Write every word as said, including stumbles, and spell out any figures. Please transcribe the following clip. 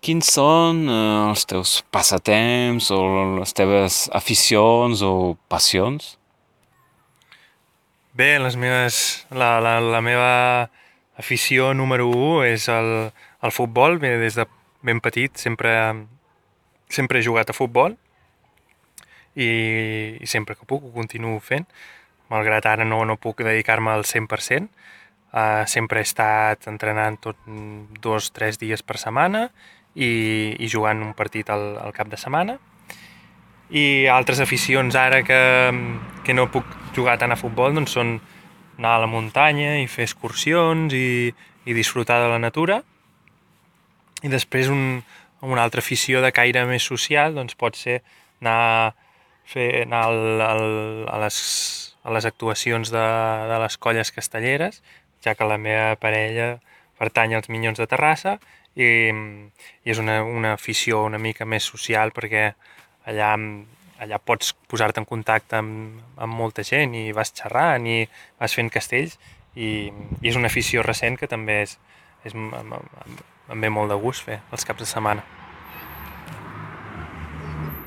quins són eh, els teus passatemps o les teves aficions o passions? Bé, les meves, la, la, la meva afició número u és el, el futbol. Bé, des de ben petit sempre, sempre he jugat a futbol i, i sempre que puc ho continuo fent, malgrat ara no, no puc dedicar-me al cent per cent. Uh, sempre he estat entrenant tot dos o tres dies per setmana i, i jugant un partit al, al cap de setmana. I altres aficions ara que, que no puc jugar tant a futbol doncs són anar a la muntanya i fer excursions i, i disfrutar de la natura. I després un, una altra afició de caire més social doncs pot ser anar, fer, anar al, al, a, les, a les actuacions de, de les colles castelleres, ja que la meva parella pertany als Minyons de Terrassa i, i és una, una afició una mica més social perquè allà, allà pots posar-te en contacte amb, amb molta gent i vas xerrant i vas fent castells i, i és una afició recent que també és, és, em, em, em ve molt de gust fer els caps de setmana.